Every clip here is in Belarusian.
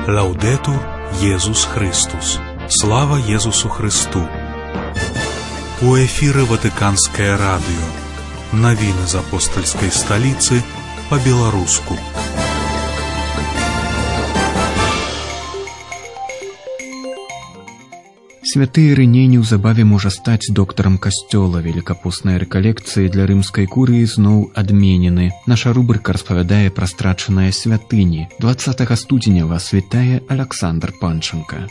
Лаудетур Єсус Христос. Слава Єсусу Христу. У эфире Ватиканское радио. Новины из апостольской столицы по-белорусски. Святы Ірыней неўзабаве можа стаць доктарам касцёла. Великапостныя рэкалекцыі для рымскай курыі зноў адменены. Наша рубрыка распавядае пра страчаныя святыні. 20 студзеня вас вітае Александр Панченко.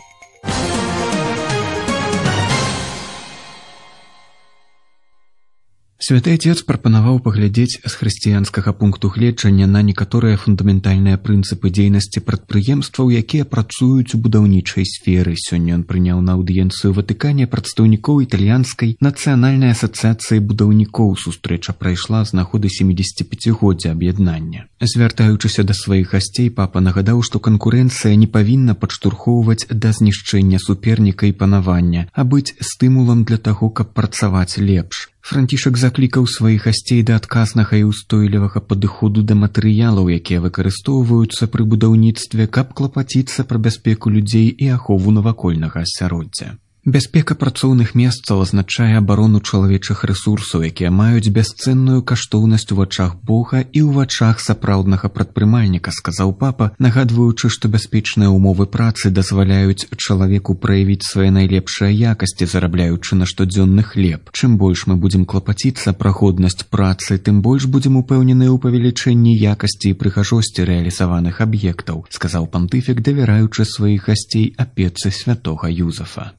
Святы Отец прапанаваў паглядзець з хрысціянскага пункту гледжання на некаторыя фундаментальныя прынцыпы дзейнасці прадпрыемстваў, якія працуюць у будаўнічай сферы. Сёння ён прыняў на аўдыенцыю ў Ватыкане прадстаўнікоў італьянскай нацыянальнай асацыяцыі будаўнікоў. Сустрэча прайшла з нагоды 75-годдзя аб'яднання. Звяртаючыся да сваіх гасцей, папа нагадаў, што канкурэнцыя не павінна падштурхоўваць да знішчэння суперніка і панавання, а быць стымулам для таго, каб працаваць лепш. Францішак заклікаў сваіх гасцей да адказнага і ўстойлівага падыходу да матэрыялаў, якія выкарыстоўваюцца пры будаўніцтве, каб клапаціцца пра бяспеку людзей і ахову навакольнага асяроддзя. Бяспека працоўных месцаў азначае абарону чалавечых рэсурсаў, якія маюць бясцэнную каштоўнасць у вачах Бога і ў вачах сапраўднага прадпрымальніка, сказаў папа, нагадваючы, што бяспечныя ўмовы працы дазваляюць чалавеку праявіць свае найлепшыя якасці, зарабляючы на штодзённы хлеб. Чым больш мы будзем клапаціцца пра годнасць працы, тым больш будзем упэўненыя ў павелічэнні якасці і прыгажосці рэалізаваных аб'ектаў, сказаў пантыфік, давяраючы сваіх гасцей апецы святога Юзафа.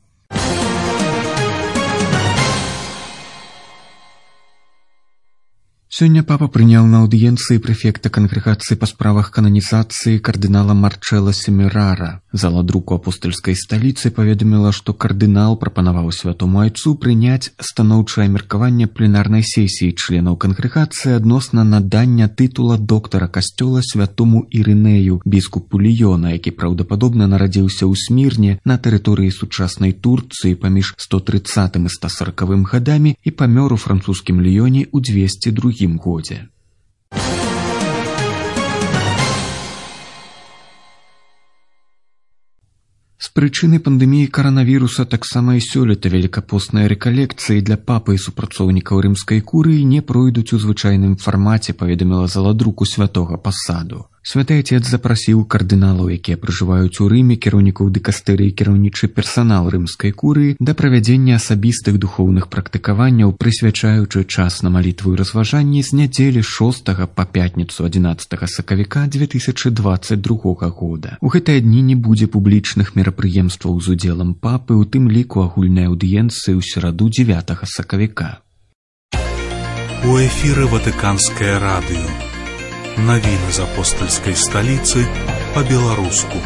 Сёння папа прыняў на аўдыенцыі прэфекта кангрэгацыі па справах кананізацыі кардынала Марчэлла Семерара. Зала друку апостальскай сталіцы паведаміла, што кардынал прапанаваў святому айцу прыняць станоўчае меркаванне пленарнай сесіі членаў кангрэгацыі адносна надання тытула доктара касцёла святому Ірынею, біскупу Ліёна, які праўдападобна нарадзіўся ў Смірне на тэрыторыі сучаснай Турцыі паміж 130 і 140 гадамі і памёр у французскім Ліёне ў 202 годзе. З прычыны пандэміі каранавіруса таксама і сёлета великапостныя рэкалекцыі для папы і супрацоўнікаў рымскай курыі не пройдуць у звычайным фармаце, паведаміла зала друку святога Пасаду. Святы Отец запрасіў кардыналаў, якія пражываюць у Рыме, кіраўнікоў дыкастэрыі і кіраўнічы персанал рымскай курыі да правядзення асабістых духоўных практыкаванняў, прысвячаючы час на малітву і разважанні з нядзелі 6 па пятніцу 11 сакавіка 2022 года. У гэтыя дні не будзе публічных мерапрыемстваў з удзелам папы, у тым ліку агульнай аўдыенцыі ў сераду 9 сакавіка. У эфире Ватиканское радио. Новины из апостольской столицы по-белоруску.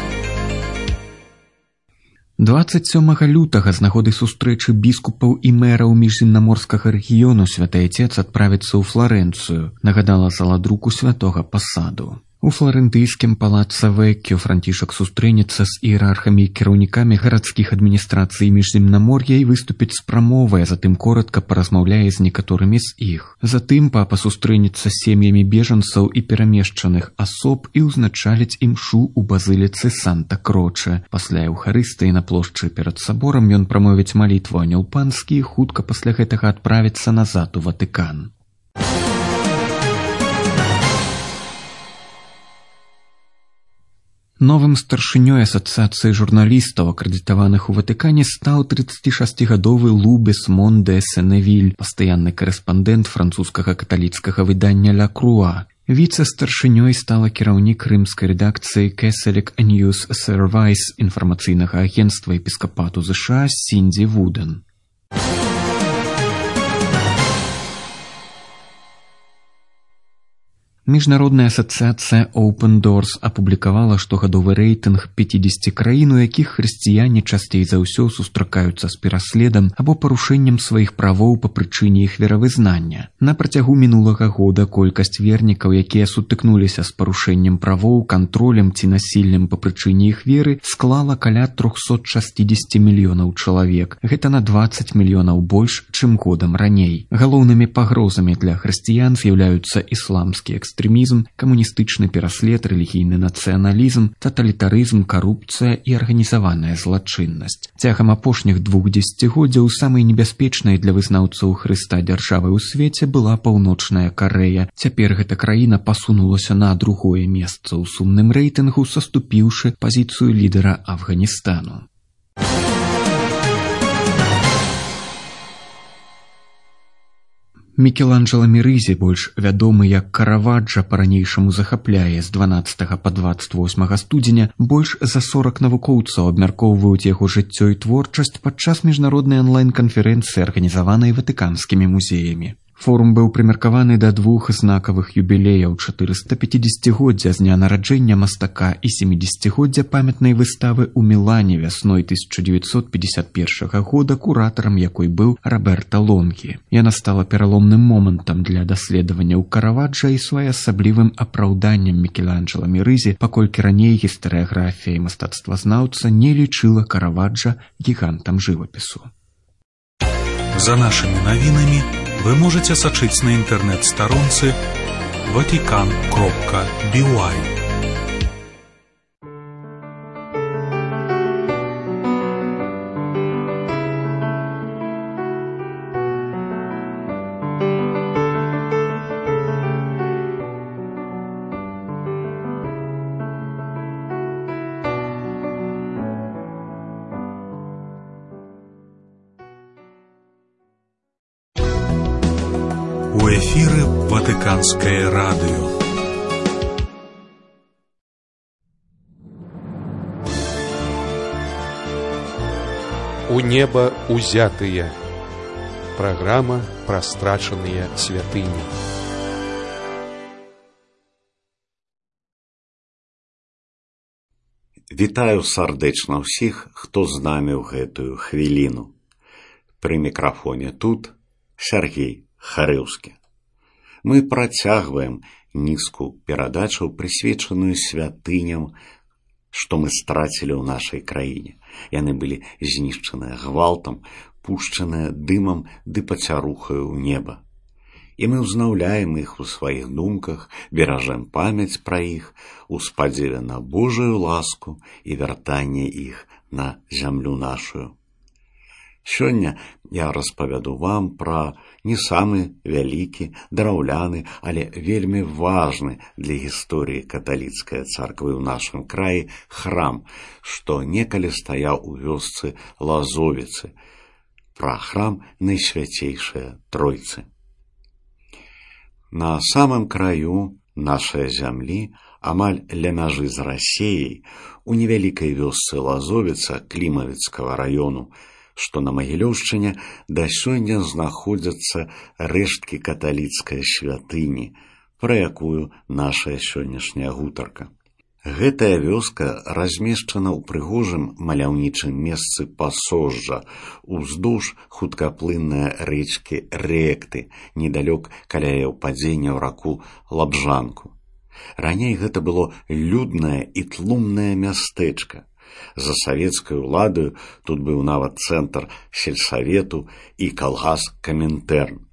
27 лютага з нагоды сустрэчы біскупаў і мэраў міжземнаморскага рэгіёну Святы Отец адправіцца ў Фларэнцыю, нагадала зала друку святога Пасаду. У фларэнтыйскім палаца Веккіо Францішак сустрэнецца з іерархамі і кіраўнікамі гарадскіх адміністрацый міжземнамор'я і выступіць з прамовай, а затым коратка паразмаўляе з некаторымі з іх. Затым папа сустрэнецца з сем'ямі бежанцаў і перамешчаных асоб і ўзначаліць імшу ў базыліцы Санта-Кроче. Пасля Еўхарыстыі на плошчы перад саборам ён прамовіць малітву Анёл Панскі і хутка пасля гэтага адправіцца назад у Ватыкан. Новым старшынёй асацыяцыі журналістаў, акрэдытаваных у Ватыкане, стаў 36-гадовы Лу Бесмон де Сеневиль, пастаянны карэспандэнт французскага каталіцкага выдання «Ля Круа». Віцэ-старшынёй стала кіраўнік рымскай рэдакцыі «Catholic News Service» інфармацыйнага агенцтва епіскапату США Сіндзі Вуден. Міжнародная асацыяцыя Open Doors апублікавала штогадовы рэйтынг 50 краін, у якіх хрысціяне часцей за ўсё сустракаюцца з пераследам або парушэннем сваіх правоў па прычыне іх веравызнання. На працягу мінулага года колькасць вернікаў, якія сутыкнуліся з парушэннем правоў, кантролем ці насіллем па прычыне іх веры, склала каля 360 мільёнаў чалавек. Гэта на 20 мільёнаў больш, чым годам раней. Галоўнымі пагрозамі для хрысціян з'яўляюцца ісламскі экстрэмізм, экстрэмізм, камуністычны пераслед, рэлігійны нацыяналізм, таталітарызм, карупцыя і арганізаваная злачыннасць. Цягам апошніх 2 дзесяцігоддзяў самай небяспечнай для вызнаўцаў Хрыста дзяржавай у свеце была Паўночная Карэя. Цяпер гэта краіна пасунулася на другое месца ў сумным рэйтынгу, саступіўшы пазіцыю лідара Афганістану. Мікеланджела Мерызі, больш вядомы як Караваджа, па-ранейшаму захапляе з 12 па 28 студзеня. Больш за 40 навукоўцаў абмяркоўваюць яго жыццё і творчасць падчас міжнароднай онлайн-канферэнцыі, арганізаванай ватыканскімі музеямі. Форум быў прымеркаваны да 2 знакавых юбілеяў: 450-годдзя з дня нараджэння мастака і 70-годдзя памятнай выставы ў Мілане вясной 1951 года, куратарам якой быў Роберта Лонгі. Яна стала пераломным момантам для даследаванняў Караваджа і своеасаблівым апраўданнем Мікеланджела Мерызі, паколькі раней гістарыяграфія і мастацтвазнаўца не лічыла Караваджа гігантам жывапісу. За нашими новинами вы можете сачыць на інтэрнэт-старонцы vatican.by. У эфіры Ватыканскае радыё. У неба узятыя. Праграма пра страчаныя святыні. Вітаю сардэчна ўсіх, хто з намі ў гэтую хвіліну. Пры мікрафоне тут Сергей Харыўскі. Мы працягваем нізку перадачаў, прысвечаную святыням, што мы страцілі ў нашай краіне. Яны былі знішчаныя гвалтам, пушчаныя дымам ды пацярухаю ў неба. І мы ўзнаўляем іх у сваіх думках, беражэм памяць пра іх, у спадзеве на Божую ласку і вяртанне іх на зямлю нашую. Сёння я распавяду вам пра не самы вялікі, драўляны, але вельмі важны для гісторыі каталіцкай царквы ў нашым краі храм, што некалі стаяў у вёсцы Лазовіцы, пра храм Найсвяцейшае Тройцы. На самым краю нашай зямлі, амаль ля мяжы з Расеяй, у невялікай вёсцы Лазовіца Клімавіцкага раёну, што на Магілёўшчыне да сёння знаходзяцца рэшткі каталіцкай святыні, пра якую нашая сённяшняя гутарка. Гэтая вёска размешчана ў прыгожым маляўнічым месцы пасожжа, уздоўж хуткаплыннай рэчкі Рэкты, недалёк каля яе ўпадзення ў раку Лабжанку. Раней гэта было люднае і тлумнае мястэчка. За савецкай уладаю тут быў нават цэнтр сельсавету і калгас Камінтэрн.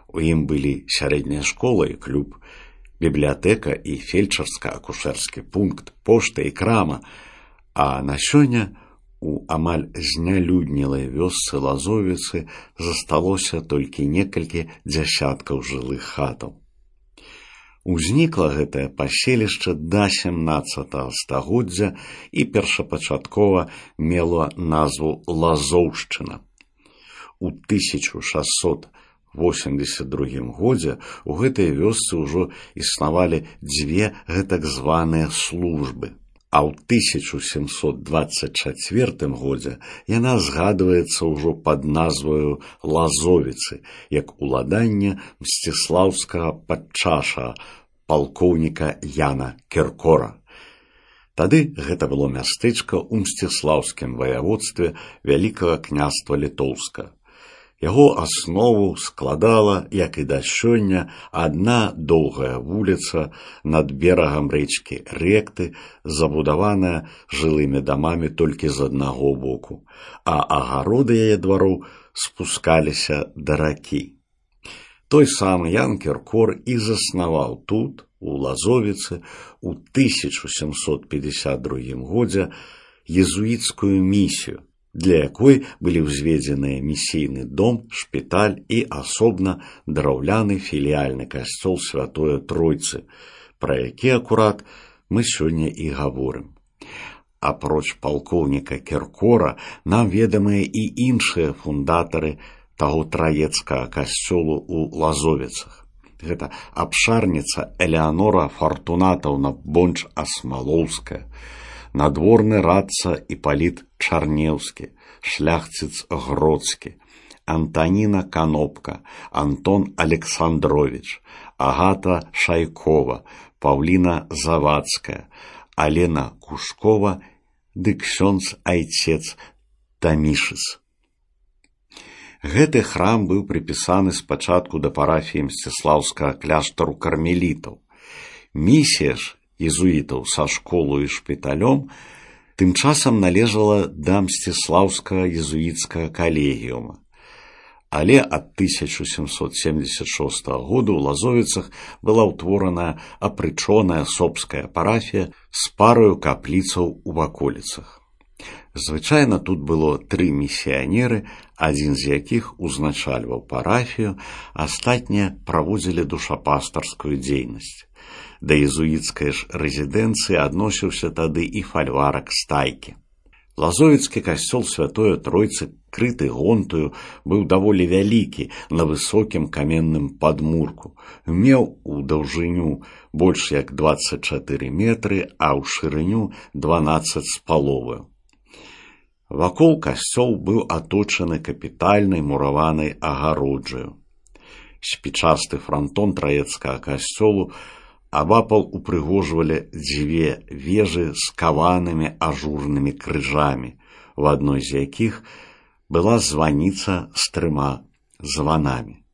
У ім былі сярэдняя школа і клуб, бібліятэка і фельчарска-акушэрскі пункт, пошта і крама, а на сёння у амаль знялюднелай вёсцы Лазовіцы засталося толькі некалькі дзясяткаў жылых хатаў. Узнікла гэтае паселішча да 17 стагоддзя і першапачаткова мела назву Лазоўшчына. У 1682 годзе у гэтай вёсцы ўжо існавалі дзве гэтак званыя службы, а ў 1724 годзе яна згадваецца ўжо пад назваю Лазовіцы, як уладанне мсціслаўскага падчаша, палкоўніка Яна Кіркора. Тады гэта было мястэчка ў мсціслаўскім ваяводстве Вялікага княства Літоўска. Яго аснову складала, як і да сёння, адна доўгая вуліца над берагам рэчкі Рэкты, забудаваная жылымі дамамі толькі з аднаго боку, а агароды яе двароў спускаліся да ракі. Той самы Ян Кіркор і заснаваў тут, у Лазовіцы ў 1752 годзе езуіцкую місію, для якой былі ўзведзеныя місійны дом, шпіталь і асобна драўляны філіяльны касцёл Святое Тройцы, пра які акурат мы сёння і гаворым. Апроч палкоўніка Кіркора, нам ведамыя і іншыя фундатары таго траецкага касцёлу ў Лазовіцах. Гэта абшарніца Элеанора Фартунатаўна Бонч-Асмалоўская, надворны радца Іпаліт Чарнеўскі, шляхціц Гродскі, Антаніна Канопка, Антон Александрович, Агата Шайкова, Паўліна Завадская, Алена Кушкова ды ксёндз айцец Тамішыц. Гэты храм быў прыпісаны спачатку да парафіі Мсціслаўскага кляштару кармелітаў. Місія ж езуітаў са школу і шпіталём тым часам належала да Мсціслаўскага езуіцкага калегіума. Але ад 1776 года ў Лазовіцах была ўтворана апрычоная сопская парафія з параю капліцаў у ваколіцах. Звычайна тут было 3 місіянеры, адзін з якіх узначальваў парафію, астатнія праводзілі душапастарскую дзейнасць. Да езуіцкай ж рэзідэнцыі адносіўся тады і фальварак Стайкі. Лазовіцкі касцёл Святое Тройцы, крыты гонтаю, быў даволі вялікі на высокім каменным падмурку, меў у даўжыню больш як 24 метры, а ў шырыню 12 з паловаю. Вакол касцёл быў аточаны капітальнай мураванай агароджаю. Спічасты франтон траецкага касцёлу абапал упрыгожвалі 2 вежы з каванымі ажурнымі крыжамі, у адной з якіх была званіца з 3 званамі.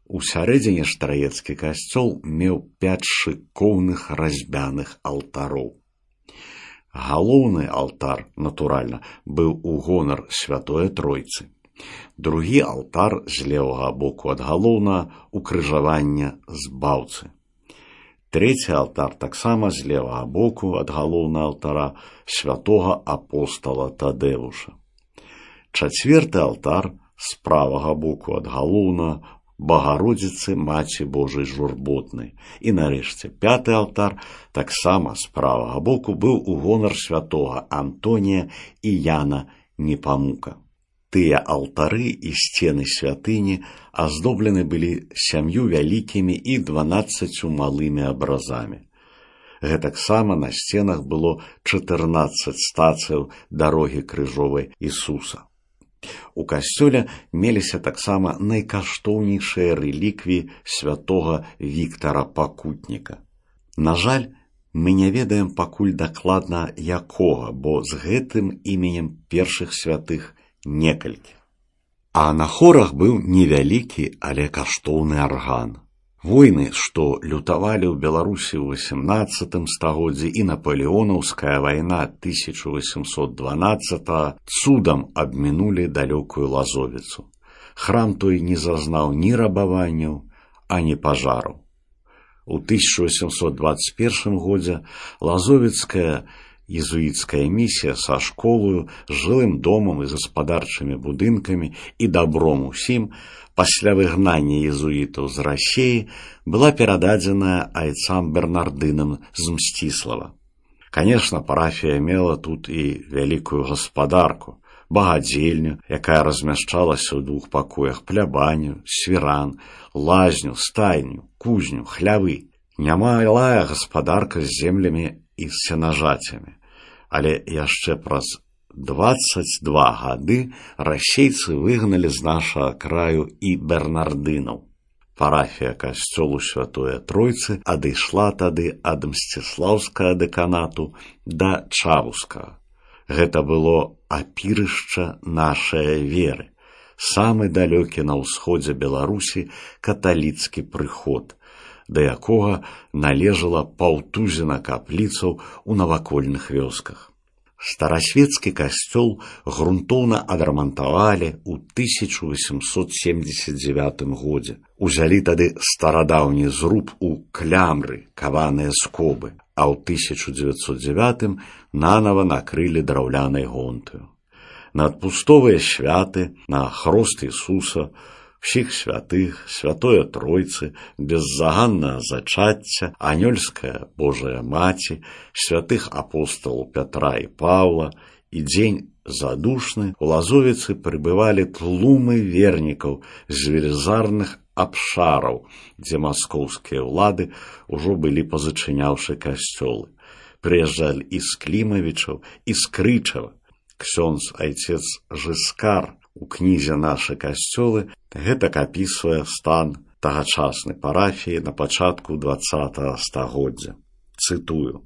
У сярэдзіне ж траецкі касцёл меў 5 шыкоўных разьбяных алтароў. Галоўны алтар, натуральна, быў у гонар Святое Тройцы. Другі алтар з левага боку ад галоўнага укрыжавання збаўцы. Трэці алтар таксама з левага боку ад галоўнага алтара святога апостала Тадэвуша. Чацвёрты алтар з правага боку ад галоўнага Багародзіцы Маці Божай Журботнай. І нарэшце 5-ы алтар таксама з правага боку быў у гонар святога Антонія і Яна Непамука. Тыя алтары і сцены святыні аздоблены былі 7 вялікімі і 12 малымі абразамі. Гэтаксама на сценах было 14 стацыяў дарогі крыжовай Ісуса. У касцёле меліся таксама найкаштоўнейшыя рэліквіі святога Віктара Пакутніка. На жаль, мы не ведаем пакуль дакладна якога, бо з гэтым іменем першых святых некалькі. А на хорах быў невялікі, але каштоўны арган. Войны, што лютавалі ў Беларусі ў 18 стагоддзі і Напалеонаўская вайна 1812 цудам абмінулі далёкую Лазовіцу. Храм той не зазнаў ні рабаванняў, ані пажараў. У 1821 годзе Лазовіцкая езуіцкая місія са школою, жылым домам і гаспадарчымі будынкамі і дабром усім пасля выгнання езуітаў з Расіі была перададзеная айцам Бернардынам з Мсціслава. Канешне, парафія мела тут і вялікую гаспадарку, багадзельню, якая размяшчалася ў 2 пакоях, плябаню, свіран, лазню, стайню, кузню, хлявы. Нямалая гаспадарка з землямі і з сенажацямі. Але яшчэ праз 22 гады расейцы выгналі з нашага краю і бернардынаў. Парафія касцёлу Святое Тройцы адышла тады ад Мсціслаўскага дэканату да Чавускага. Гэта было апірышча нашай веры, самы далёкі на ўсходзе Беларусі каталіцкі прыход, да якога належала паўтузіна капліцаў у навакольных вёсках. Старасветскі касцёл грунтоўна адрамантавалі ў 1879 годзе. Узялі тады старадаўні зруб у клямры, каваныя скобы, а ў 1909 нанова накрылі драўлянай гонтаю. На адпустовыя святы, на хрост Ісуса, всіх святых, Святое Тройцы, беззаганнае зачацця, анёльская Божая Маці, святых апосталаў Пятра і Паўла і дзень задушны у Лазовіцы прыбывалі тлумы вернікаў з велізарных абшараў, дзе маскоўскія ўлады ўжо былі пазачыняўшы касцёлы. Прыязджалі і з Клімавічаў, і з Крычава. Ксёндз айцец Жыскар у кнізе «Нашы касцёлы» гэтак апісвае стан тагачаснай парафіі на пачатку 20-го стагоддзя. Цытую: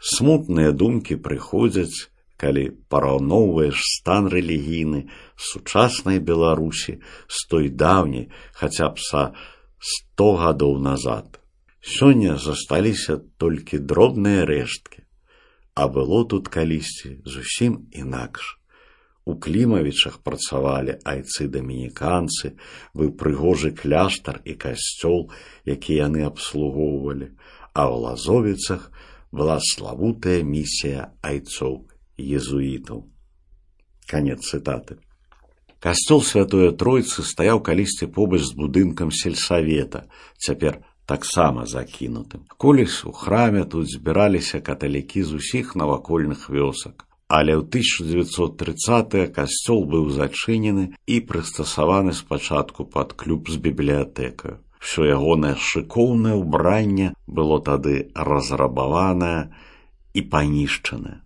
«Смутныя думкі прыходзяць, калі параўноўваеш стан рэлігійны сучаснай Беларусі з той даўняй, хаця б са 100 гадоў назад. Сёння засталіся толькі дробныя рэшткі, а было тут калісьці зусім інакш. У Клімавічах працавалі айцы-дамініканцы, быў прыгожы кляштар і касцёл, які яны абслугоўвалі, а ў Лазовіцах была славутая місія айцоў-езуітаў». Канец цытаты. Касцёл Святое Тройцы стаяў калісьці побач з будынкам сельсавета, цяпер таксама закінутым. Колісь у храме тут збіраліся каталікі з усіх навакольных вёсак. Але ў 1930-е касцёл быў зачынены і прыстасаваны спачатку пад клуб з бібліятэкаю. Всё ягонае шыкоўнае ўбранне было тады разрабаванае і панішчанае.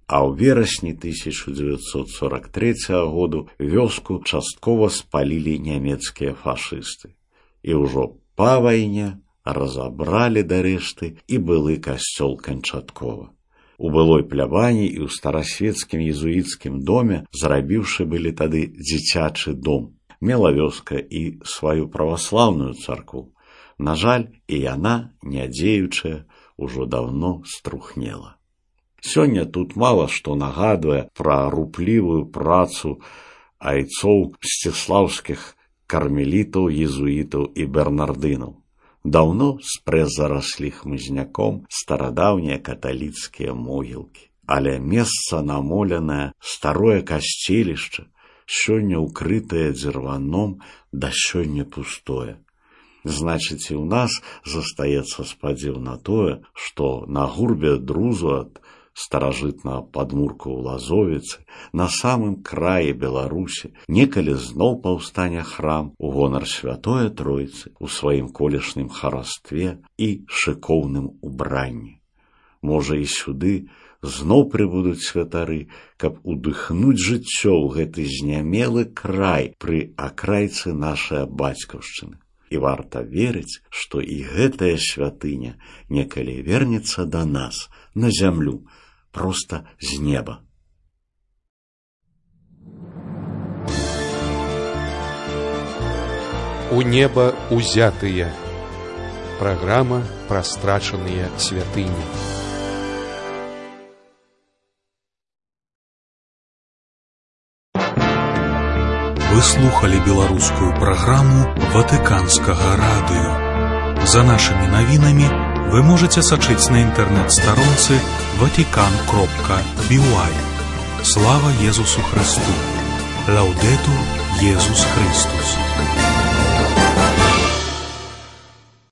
А ў верасні 1943 году вёску часткова спалілі нямецкія фашысты. І ўжо па вайне разабралі да рэшты і былы касцёл канчаткова. У былой плябані і ў старасветскім езуіцкім доме зрабіўшы былі тады дзіцячы дом. Мела вёска і сваю праваслаўную царкву. На жаль, і яна, нядзеючая, ужо даўно струхнела. Сёння тут мала што нагадвае пра руплівую працу айцоў сціслаўскіх кармелітаў, езуітаў і бернардынаў. Даўно спрэс зараслі хмызняком старадаўнія каталіцкія могілкі. Але месца намоленае, старое касцелішча, сёння ўкрытае дзірваном, да сёння пустое. Значыць, і ў нас застаецца спадзеў на тое, што на гурбе друзу ад старажытнага падмурку ў Лазовіцы, на самым краі Беларусі, некалі зноў паўстане храм у гонар Святое Тройцы ў сваім колішнім харастве і шыкоўным убранні. Можа, і сюды зноў прыбудуць святары, каб удыхнуць жыццё ў гэты знямелы край пры акрайцы нашай бацькаўшчыны. І варта верыць, што і гэтая святыня некалі вернецца да нас, на зямлю, проста з неба. У неба узятыя. Праграма пра страчаныя святыні. Вы слухали беларускую праграму Ватыканскага радыё. За нашымі навінамі вы можете сачыць на інтэрнэт-старонцы vatican.by. Слава Езусу Христу! Лаўдэтур Езус Христус!